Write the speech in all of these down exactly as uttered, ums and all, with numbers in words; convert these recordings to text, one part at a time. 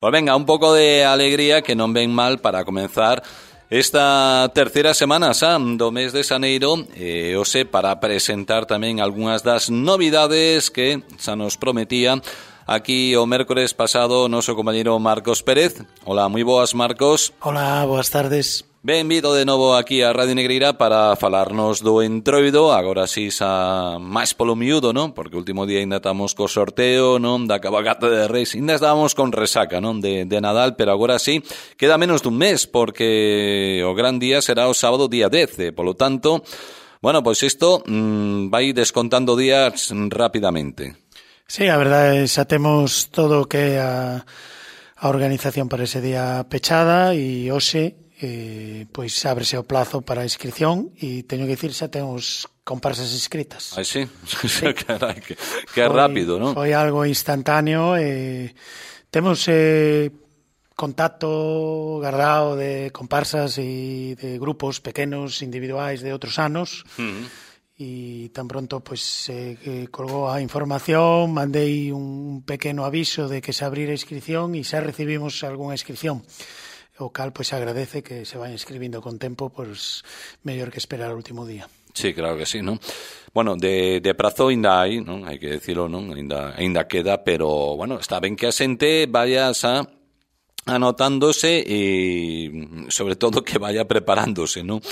Pois venga, un pouco de alegría que non ven mal para comenzar esta terceira semana xa do mes de xaneiro, e hoxe para presentar tamén algunhas das novidades que xa nos prometía aquí o mércores pasado o noso compañeiro Marcos Pérez. Hola, moi boas, Marcos. Hola, boas tardes. Benvido de novo aquí a Radio Negreira para falarnos do Entroido, agora si xa máis polo miúdo, non? Porque o último día ainda estamos co sorteo, non? Da cabalgata de Reis, ainda estábamos con resaca, non? De, de Nadal, pero agora sí, queda menos dun mes, porque o gran día será o sábado día dez, e, polo tanto, bueno, pois isto mmm, vai descontando días rapidamente. Sí, a verdade, xa temos todo o que a, a organización para ese día pechada, e hoxe Eh, pois ábrese o plazo para a inscripción e teño que dicir xa temos comparsas inscritas. Ai, sí? Sí. Carai, que, que foi, rápido, non? Foi algo instantáneo. Eh, temos eh, contacto guardado de comparsas e de grupos pequenos individuais de outros anos. Uh-huh. E tan pronto pois se eh, colgou a información, mandei un pequeno aviso de que se abrira a inscripción e xa recibimos algunha inscripción. O cal, pois, agradece que se vayan escribindo con tempo, pois, mellor que esperar o último día. Sí, claro que sí, non? Bueno, de, de prazo ainda hai, non? Hai que decirlo, non? Ainda, ainda queda, pero, bueno, está ben que a xente vaya xa anotándose e, sobre todo, que vaya preparándose, non?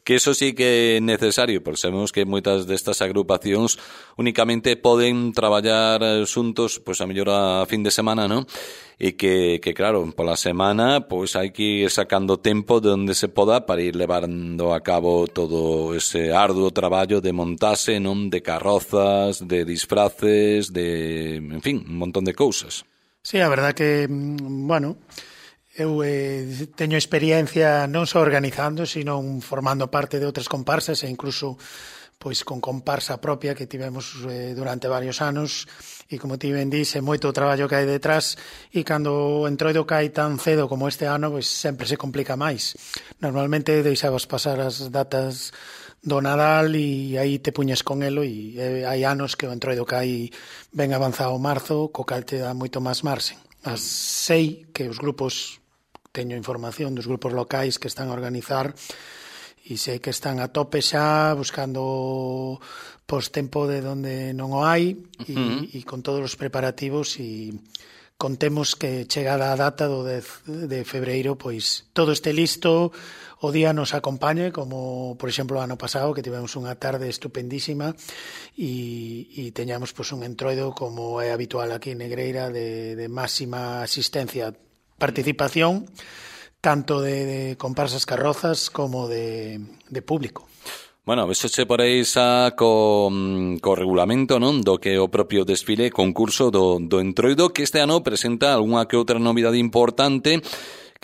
Que eso sí que é necesario, porque sabemos que moitas destas agrupacións únicamente poden traballar xuntos, pois a mellor a fin de semana, non? E que, que claro, pola semana pois hai que ir sacando tempo de onde se poda para ir levando a cabo todo ese arduo traballo de montaxe, non? De carrozas, de disfraces, de, en fin, un montón de cousas. Sí, a verdad que, bueno, eu eh, teño experiencia non só organizando, sino formando parte de outras comparsas e incluso pois con comparsa propia que tivemos eh, durante varios anos, e como ti ben dís, é moito o traballo que hai detrás, e cando o Entroido cae tan cedo como este ano, pois sempre se complica máis. Normalmente deixabas pasar as datas do Nadal e aí te puñes con elo, e eh, hai anos que o Entroido cae ben avanzado marzo, co cal te dá moito máis marxen. As sei que os grupos, teño información dos grupos locais que están a organizar, e sei que están a tope xa buscando postempo de onde non o hai, e, uh-huh. e con todos os preparativos, e contemos que chegada a data do dez de febreiro pois todo este listo, o día nos acompañe, como por exemplo o ano pasado que tivemos unha tarde estupendísima, e, e teñamos pois un Entroido como é habitual aquí en Negreira de, de máxima asistencia, participación tanto de, de comparsas carrozas como de, de público. Bueno, vexoche por aí xa co, co regulamento, non? Do que o propio desfile concurso do, do Entroido, que este ano presenta algunha que outra novidade importante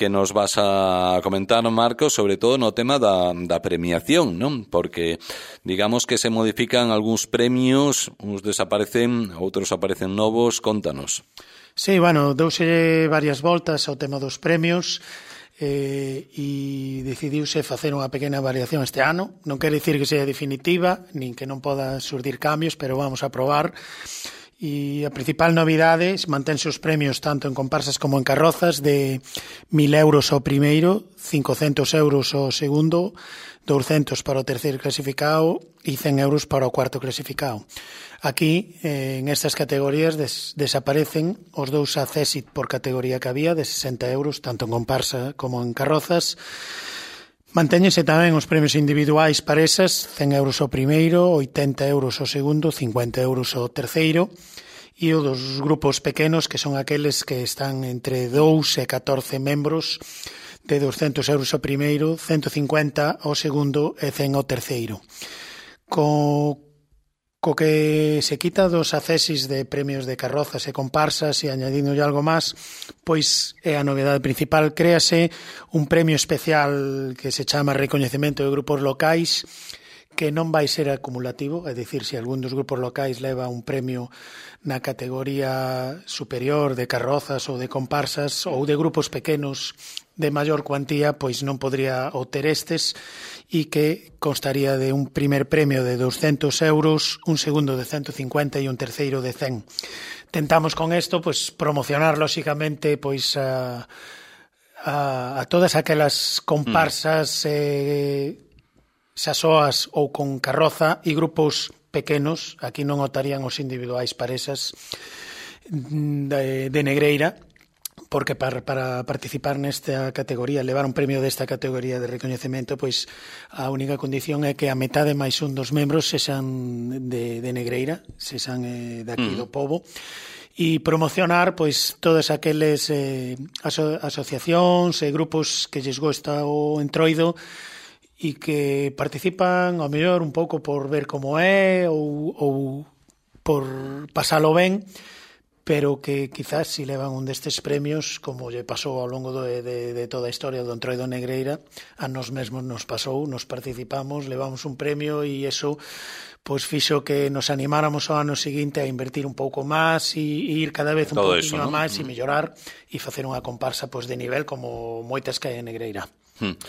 que nos vas a comentar, Marcos, sobre todo no tema da, da premiación, non? Porque digamos que se modifican algúns premios, uns desaparecen, outros aparecen novos, contanos. Sí, bueno, douse varias voltas ao tema dos premios, Eh, e decidiuse facer unha pequena variación este ano. Non quere dicir que sea definitiva, nin que non poda surdir cambios, pero vamos a probar. E a principal novidade, mantense os premios tanto en comparsas como en carrozas, de mil euros ao primeiro, cincocentos euros ao segundo, douscentos para o terceiro clasificado e cen euros para o cuarto clasificado. Aquí, eh, en estas categorías, des, desaparecen os dous accésit por categoría que había, de sesenta euros, tanto en comparsa como en carrozas. Mantéñense tamén os premios individuais para esas, cen euros ao primeiro, oitenta euros ao segundo, cincuenta euros ao terceiro, e o dos grupos pequenos, que son aqueles que están entre dous e catorce membros, de doscentos euros ao primeiro, ciento cincuenta ao segundo e cen ao terceiro. Co co que se quita dos accesis de premios de carrozas e comparsas e añadindo algo máis, pois é a novedade principal. Créase un premio especial que se chama Recoñecemento de Grupos Locais, que non vai ser acumulativo, é dicir, se algún dos grupos locais leva un premio na categoría superior de carrozas ou de comparsas ou de grupos pequenos de maior cuantía pois non podría obter estes e que constaría de un primer premio de doscientos euros, un segundo de ciento cincuenta e un terceiro de cen. Tentamos con isto pois promocionar lóxicamente pois a, a, a todas aquelas comparsas mm. eh, sasoas ou con carroza e grupos pequenos, aquí non otarían os individuais paresas de, de Negreira, porque para, para participar nesta categoría, levar un premio desta categoría de recoñecemento, pois a única condición é que a metade máis un dos membros sexan de, de Negreira, sexan eh, daqui mm. do pobo, e promocionar pois todas aqueles eh, aso, asociacións e grupos que lles gosta o entroido e que participan ao mellor un pouco por ver como é ou, ou por pasalo ben, pero que quizás si levan un destes premios, como lle pasou ao longo de, de, de toda a historia do Entroido Negreira, a nós mesmos nos pasou, nos participamos, levamos un premio e eso pois fixo que nos animáramos ao ano seguinte a invertir un pouco máis e, e ir cada vez un pouquinho ¿no? máis e mellorar e facer unha comparsa pois de nivel como moitas que hai en Negreira. Hmm.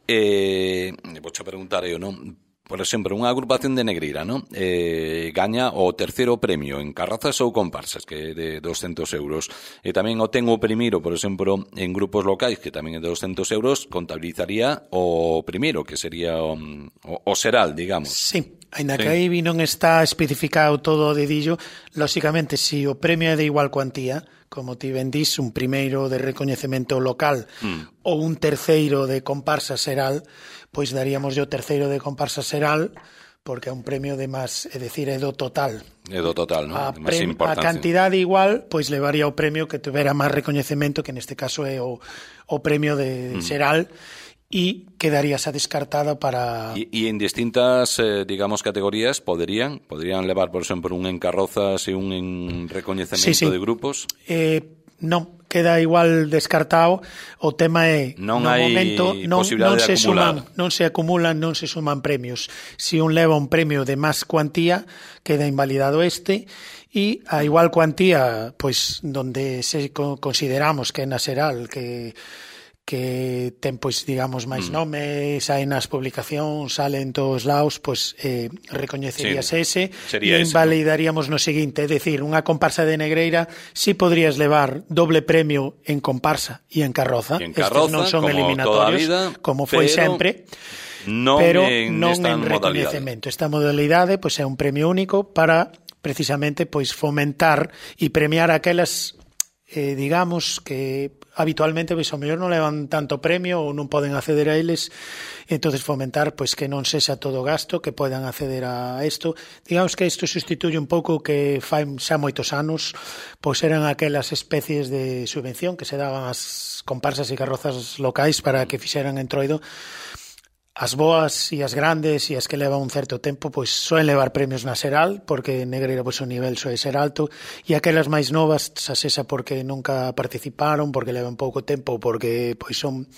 Eh, vou te preguntar eu, non? Por exemplo, unha agrupación de Negreira, ¿no? Eh, gaña o terceiro premio en carrazas ou comparsas, que é de doscientos euros. E tamén o ten o primeiro, por exemplo, en grupos locais, que tamén é de doscientos euros, contabilizaría o primeiro, que sería o, o, o Seral, digamos. Sí, ainda sí. que aí non está especificado todo o dedillo, lóxicamente, se si o premio é de igual cuantía, como ti ben dís, un primeiro de recoñecemento local mm. ou un terceiro de comparsa Seral, pois daríamos o terceiro de comparsa Seral porque é un premio de máis, é dicir, é do total. É do total, non? A, prem, a cantidade igual, pois levaría o premio que tuvera máis recoñecemento, que neste caso é o, o premio de mm. Seral, e quedaríase descartada para... E, e en distintas, eh, digamos, categorías poderían poderían levar, por exemplo, un en carrozas e un en recoñecemento sí, sí. de grupos? Eh, non, queda igual descartado. O tema é, non no hai momento non, non se acumular. suman, non se acumulan, non se suman premios. Si un leva un premio de máis cuantía, queda invalidado este, e a igual cuantía, pois, donde se consideramos que é na Seral, que que ten, pois, digamos, máis mm. nome, saen nas publicacións, salen todos lados, pois eh, recoñecerías sí, ese e invalidaríamos no seguinte, é dicir, unha comparsa de Negreira si podrías levar doble premio en comparsa e en carroza, en carroza estes non son eliminatorios, vida, como foi sempre, non pero en non en recoñecemento. Esta modalidade pois é un premio único para, precisamente, pois fomentar e premiar aquelas, eh, digamos, que habitualmente pois ao mellor non levan tanto premio ou non poden acceder a eles, entonces fomentar pois que non sexa todo gasto, que podan acceder a isto. Digamos que isto sustituye un pouco que fai xa moitos anos, pois eran aquelas especies de subvención que se daban ás comparsas e carrozas locais para que fixeran entroido. As boas e as grandes e as que levan un certo tempo pois soen levar premios na Seral, porque en Negreira pois o nivel soe ser alto, e aquelas máis novas xa sexa porque nunca participaron, porque levan pouco tempo, porque pois son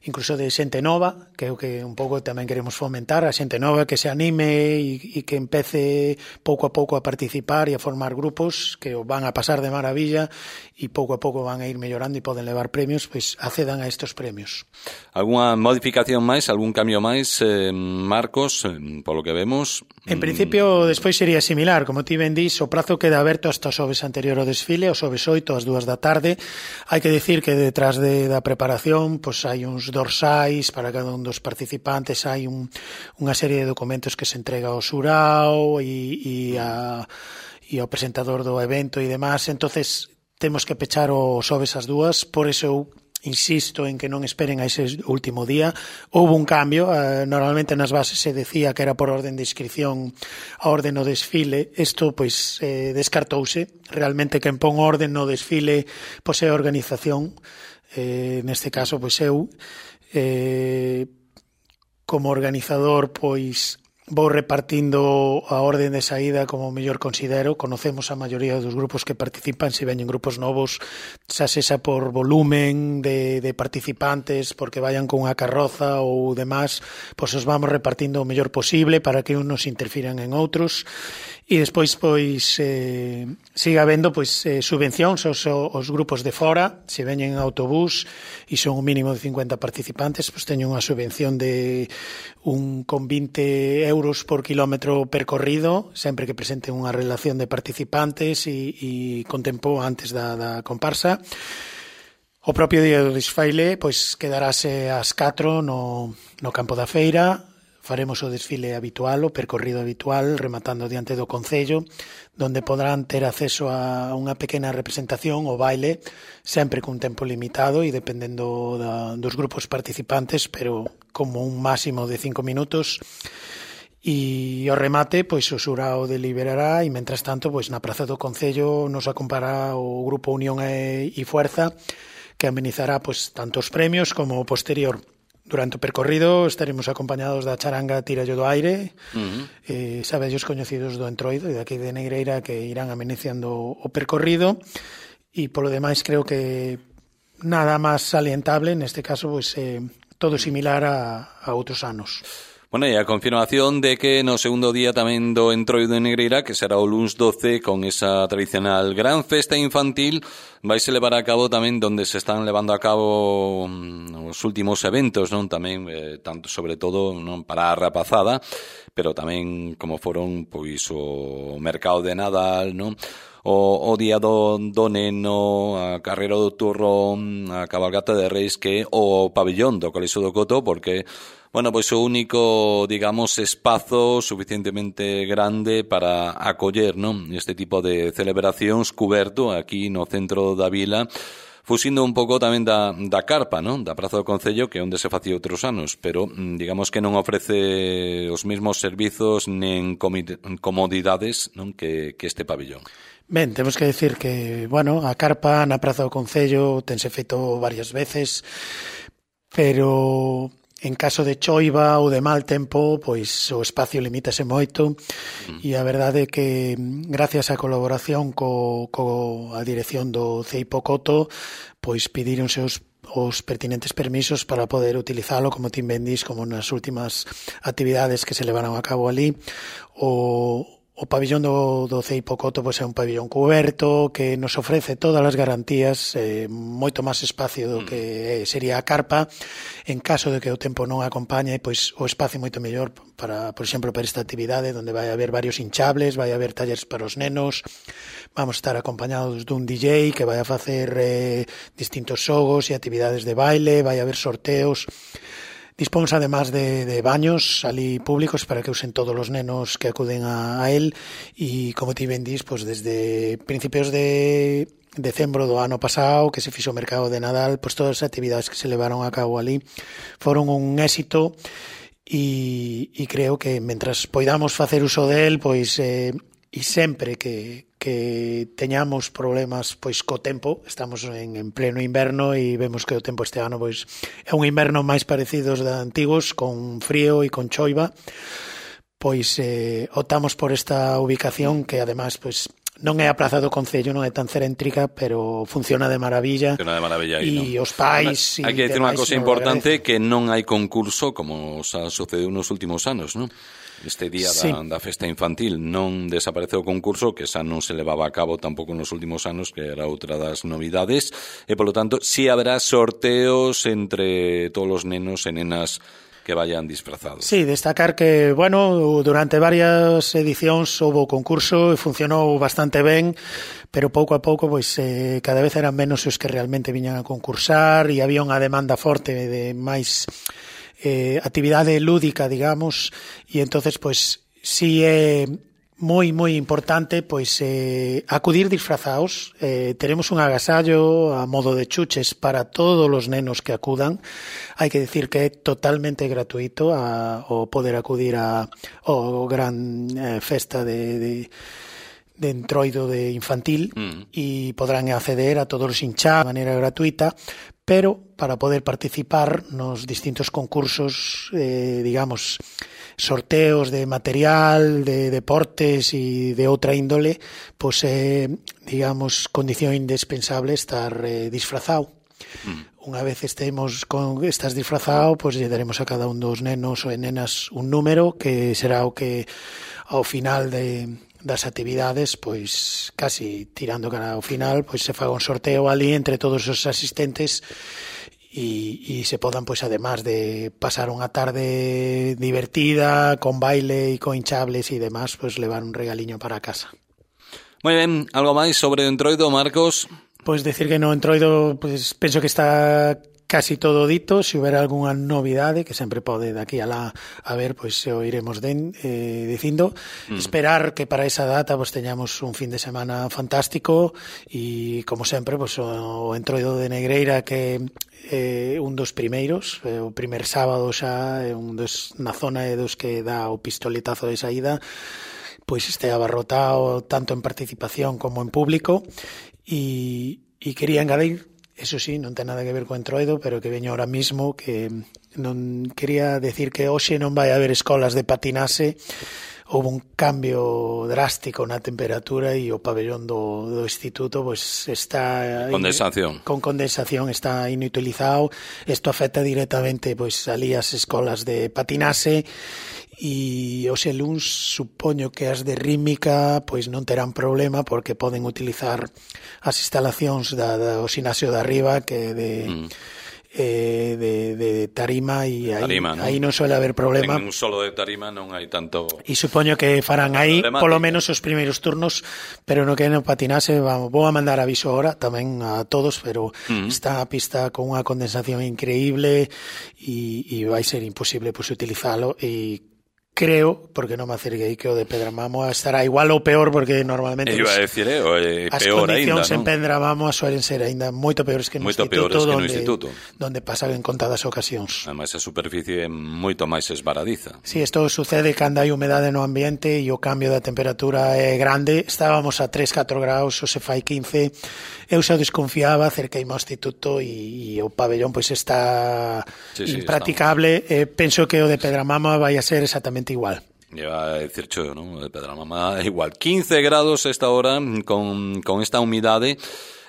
incluso de xente nova, que é o que un pouco tamén queremos fomentar, a xente nova que se anime e, e que empece pouco a pouco a participar e a formar grupos que o van a pasar de maravilla e pouco a pouco van a ir mellorando e poden levar premios, pois accedan a estos premios. Alguna modificación máis, algún cambio máis, eh, Marcos, eh, polo que vemos? En principio, despois sería similar, como ti ben dís, o prazo queda aberto hasta o xoves anterior ao desfile, o xoves oito, ás dúas da tarde. Hai que dicir que detrás de, da preparación, pois hai uns dorsais para cada un dos participantes, hai un, unha serie de documentos que se entrega ao xurao e, e, a, e ao presentador do evento e demás, entonces temos que pechar o xoves ás dúas, por eso eu insisto en que non esperen a ese último día. Houve un cambio, eh, normalmente nas bases se decía que era por orden de inscripción a orden no desfile, isto pois eh, descartouse, realmente quen pon orden no desfile pois é a organización, eh, neste caso pois eu eh, como organizador pois vou repartindo a orden de saída como mellor considero. Conocemos a maioría dos grupos que participan, se veñen grupos novos, xa sexa por volumen de, de participantes, porque vayan con unha carroza ou demás, pois os vamos repartindo o mellor posible para que unos interfiran en outros E despois, pois, eh, sigue habendo, pois, eh, subvencións aos, aos grupos de fora. Se veñen en autobús e son un mínimo de cincuenta participantes, pois teñen unha subvención de un con vinte euros por kilómetro percorrido, sempre que presenten unha relación de participantes e, e con tempo antes da, da comparsa. O propio día do desfile, pois, quedarase ás catro no, no campo da feira. Faremos o desfile habitual, o percorrido habitual, rematando diante do Concello, donde podrán ter acceso a unha pequena representación, o baile, sempre cun tempo limitado e dependendo da, dos grupos participantes, pero como un máximo de cinco minutos. E ao remate, pois o xurao deliberará e, mentras tanto, pois na Praza do Concello nos acompañará o Grupo Unión e, e Fuerza, que amenizará pois tanto os premios como o posterior. Durante o percorrido estaremos acompañados da charanga Tírallo do Aire, uh-huh. eh, sabellos coñecidos do Entroido e daqui de Negreira, que irán ameniciando o percorrido. E polo demais creo que nada máis salientable, neste caso, pois eh, todo similar a, a outros anos. Bueno, e a confirmación de que no segundo día tamén do Entroido de Negreira, que será o luns doce, con esa tradicional gran festa infantil, vaise levar a cabo tamén donde se están levando a cabo os últimos eventos, non? Tamén, eh, tanto sobre todo non para a rapazada, pero tamén como foron pois o mercado de Nadal, non? O, o día do, do neno, a carreira do turrón, a cabalgata de Reis, que o pabillón do Colexio do Coto, porque bueno, pois o único, digamos, espazo suficientemente grande para acoller, non? Este tipo de celebracións cuberto aquí no centro da vila, fuxindo un pouco tamén da, da carpa, non? Da Praza do Concello, que é onde se facía outros anos, pero digamos que non ofrece os mesmos servizos nen comodidades, non? Que, que este pabillón. Ben, temos que decir que, bueno, a carpa na Praza do Concello tense feito varias veces, pero en caso de choiva ou de mal tempo, pois o espacio limítase moito, mm. e a verdade é que gracias á colaboración co, co a dirección do C E I P O Coto, pois pidíronse os os pertinentes permisos para poder utilizalo, como ti ben dis, como nas últimas actividades que se levaron a cabo ali. O O pabillón do, do C E I P O Coto pois é un pabillón cuberto que nos ofrece todas as garantías, eh, moito máis espacio do que sería a carpa. En caso de que o tempo non acompañe, pois o espacio é moito mellor para, por exemplo, para esta actividade, onde vai haber varios hinchables, vai haber talleres para os nenos, vamos a estar acompañados dun D J que vai a facer eh, distintos xogos e actividades de baile, vai haber sorteos. Dispóns además de, de baños ali públicos para que usen todos os nenos que acuden a, a él, e como ti ben dis, pues desde principios de decembro do ano pasado que se fixo o mercado de Nadal, pues todas as actividades que se levaron a cabo ali foron un éxito, e, e creo que mentras poidamos facer uso del, pois eh, e sempre que, que teñamos problemas pois co tempo, estamos en, en pleno inverno e vemos que o tempo este ano pois é un inverno máis parecido aos de antigos, con frío e con choiva, pois eh, optamos por esta ubicación que además pois non é a Praza do Concello, non é tan céntrica, pero funciona de maravilla. Funciona de maravilla aí, e non? Os pais... Hai que decir unha cosa importante, que non hai concurso como xa sucedeu nos últimos anos, non? Este día da, sí. da festa infantil non desapareceu o concurso, que xa non se levaba a cabo tampouco nos últimos anos, que era outra das novidades, e polo tanto si haberá sorteos entre todos os nenos e nenas que vayan disfrazados. Sí, destacar que, bueno, durante varias edicións houve concurso e funcionou bastante ben, pero pouco a pouco, pois, eh, cada vez eran menos os que realmente viñan a concursar e había unha demanda forte de máis eh, actividade lúdica, digamos, e entonces, pois, si é moi, moi importante, pois, eh, acudir disfrazados. Eh, teremos un agasallo a modo de chuches para todos os nenos que acudan. Hai que decir que é totalmente gratuito a, o poder acudir a o gran eh, festa de, de de entroido de infantil, mm. e podrán acceder a todos os hinchados de maneira gratuita, pero para poder participar nos distintos concursos, eh, digamos, sorteos de material, de deportes e de outra índole, pois é, eh, digamos, condición indispensable estar eh, disfrazado. Mm. Unha vez estemos con estás disfrazado, pois lle daremos a cada un dos nenos ou nenas un número que será o que ao final de das actividades, pois casi tirando cara ao final, pois se faga un sorteo ali entre todos os asistentes e, e se podan, pois, además de pasar unha tarde divertida, con baile e con hinchables e demás, pois levar un regaliño para casa. Moi ben, algo máis sobre o Entroido, Marcos? Pois decir que no Entroido, pois penso que está casi todo dito. Se houbera algunha novidade, que sempre pode daqui a lá a ver, pois o iremos den, eh, dicindo. Mm. Esperar que para esa data pois teñamos un fin de semana fantástico e, como sempre, pois o Entroido de Negreira, que é eh, un dos primeiros, eh, o primer sábado xa, é un dos na zona e dos que dá o pistoletazo de saída, pois este abarrotado tanto en participación como en público e, e quería engadir, eso sí, non ten nada que ver co Entroido, pero que veño ahora mismo, que non quería decir que hoxe non vai haber escolas de patinaxe. Houve un cambio drástico na temperatura e o pabellón do, do instituto pois está condensación. con condensación, está inutilizado. Isto afecta directamente pois ali as escolas de patinaxe e hoxe luns supoño que as de rítmica pois non terán problema porque poden utilizar as instalacións da, do xinasio de arriba, que de mm. eh, de, de tarima e aí, tarima, ¿no? aí non suele haber problema. En un solo de tarima non hai tanto. E supoño que farán aí polo menos os primeiros turnos, pero no que non patinase, vamos, vou a mandar aviso ahora tamén a todos, pero mm. está a pista con unha condensación increíble e, e vai ser imposible pois utilizalo e creo, porque non me acerguei, que o de Pedramamo estará igual ou peor, porque normalmente iba a decir, eh, o, eh, as peor condicións ainda, en Pedramamo suelen ser ainda moito peores que no moito instituto, peores que no donde, instituto, donde pasan en contadas ocasións. Ademais a superficie é moito máis esvaradiza. Si, sí, isto sucede cando hai humedade no ambiente e o cambio da temperatura é grande. Estábamos a tres, catro graus, o se fai quince. Eu xa desconfiaba, acerqueime ao instituto e, e o pabellón pois está sí, sí, impracticable. Eh, penso que o de Pedramamo vai a ser exactamente igual. Lleva a decir yo, ¿no? De Pedramamo igual. quince grados esta hora con, con esta humidade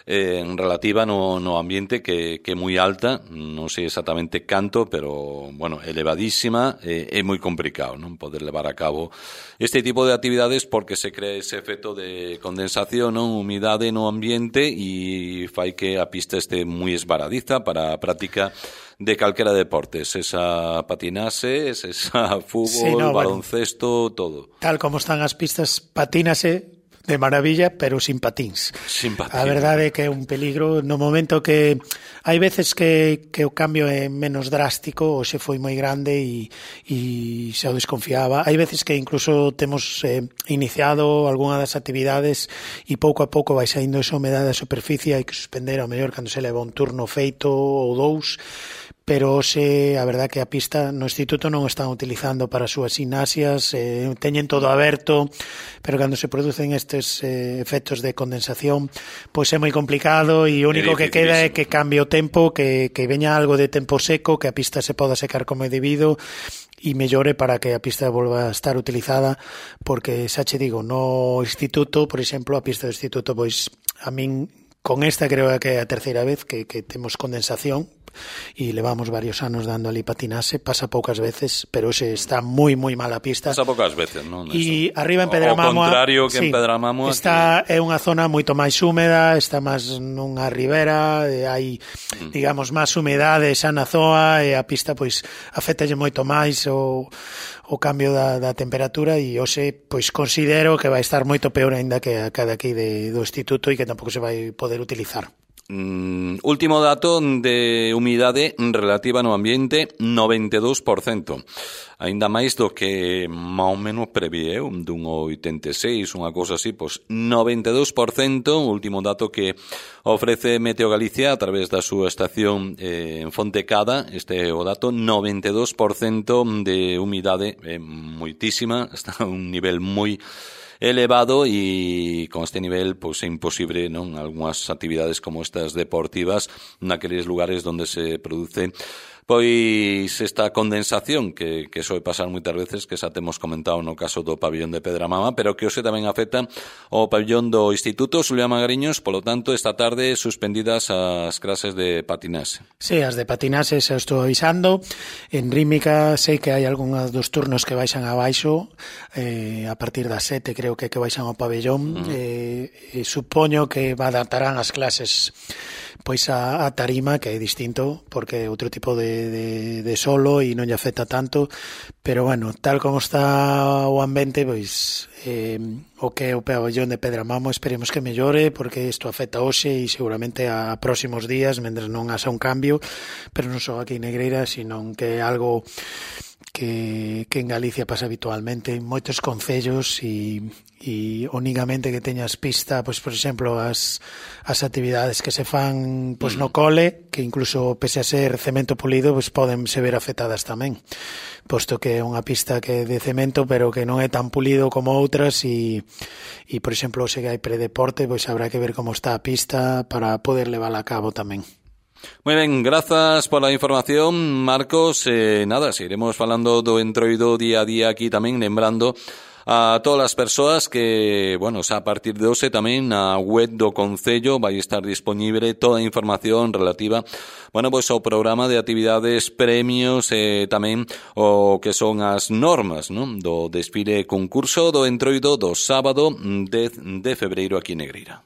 eh, relativa no, no ambiente que, que é moi alta, non sei exactamente canto, pero, bueno, elevadísima, eh, é moi complicado, non? Poder levar a cabo este tipo de actividades porque se crea ese efecto de condensación, non? Humidade no ambiente e fai que a pista este moi esvaradiza para a práctica de calquera deportes, esa patinase, esa fútbol, sí, no, baloncesto, bueno, todo. Tal como están as pistas, patínase de maravilla, pero sin patíns. Sin patíns. A verdade é que é un peligro no momento que hai veces que, que o cambio é menos drástico, hoxe foi moi grande e, e xa o desconfiaba. Hai veces que incluso temos eh, iniciado algunha das actividades e pouco a pouco vai saindo esa humedade da superficie, hai que suspender ao mellor cando se leva un turno feito ou dous, pero hoxe a verdade que a pista no instituto non están utilizando para as súas gimnasias, eh, teñen todo aberto, pero cando se producen estes eh, efectos de condensación, pois é moi complicado e o único que queda é que cambie o tempo, que, que veña algo de tempo seco, que a pista se poda secar como é debido e mellore para que a pista volva a estar utilizada, porque xa che digo, no instituto, por exemplo, a pista do instituto, pois a min con esta creo que é a terceira vez que, que temos condensación e levamos varios anos dando ali patinase, pasa poucas veces, pero hoxe está moi moi mal a pista. Pasa poucas veces, non? E arriba en Pedramamo, o contrario que sí, en Pedramamo, está aquí é unha zona moito máis húmeda, está máis nunha ribera, hai, mm. digamos, máis humedade xa na zoa e a pista pois afectalle moito máis o o cambio da, da temperatura e hoxe pois considero que vai estar moito peor aínda que a cada aquí de, do instituto e que tampouco se vai poder utilizar. Mm, último dato de humidade relativa no ambiente, noventa e dous por cento. Aínda máis do que máis ou menos preví eu, dun oitenta e seis, unha cousa así, pois noventa e dous por cento, o último dato que ofrece Meteo Galicia a través da súa estación eh, en Fontecada, este é o dato, noventa e dous por cento de humidade, é eh, moitísima, está a un nivel moi elevado e con este nivel pois é imposible, non, algunhas actividades como estas deportivas naqueles lugares onde se produce Pois esta condensación que, que soe pasar moitas veces, que xa temos comentado no caso do pabillón de Pedramama, pero que hoxe tamén afecta ao pabillón do Instituto Xulián Magariños, polo tanto, esta tarde suspendidas as clases de patinaxe. Sí, as de patinaxe xa estou avisando. En Rímica sei que hai algúns dos turnos que baixan abaixo, eh, a partir das sete creo que que baixan ao pabillón. Uh-huh. eh, e supoño que adaptarán as clases pois a, a tarima, que é distinto, porque é outro tipo de, de, de solo e non lle afecta tanto, pero bueno, tal como está o ambiente, pois eh, o que é o pabellón de Pedramamo esperemos que mellore, porque isto afecta hoxe e seguramente a próximos días, mentres non haxa un cambio, pero non só aquí en Negreira, sino que é algo que, que en Galicia pasa habitualmente en moitos concellos e, e únicamente que teñas pista, pois por exemplo as, as actividades que se fan pois no cole, que incluso pese a ser cemento pulido, pois poden se ver afectadas tamén, posto que é unha pista que é de cemento pero que non é tan pulido como outras e, e por exemplo se hai predeporte, pois habrá que ver como está a pista para poder levála a cabo tamén. Moi ben, grazas pola información, Marcos. Eh, nada, seguiremos falando do entroido día a día aquí tamén, lembrando a todas as persoas que, bueno, xa a partir de hoxe tamén na web do Concello vai estar disponible toda a información relativa, bueno, pois ao programa de actividades, premios e eh, tamén o que son as normas, non, do desfile concurso do entroido do sábado dez de febreiro aquí en Negreira.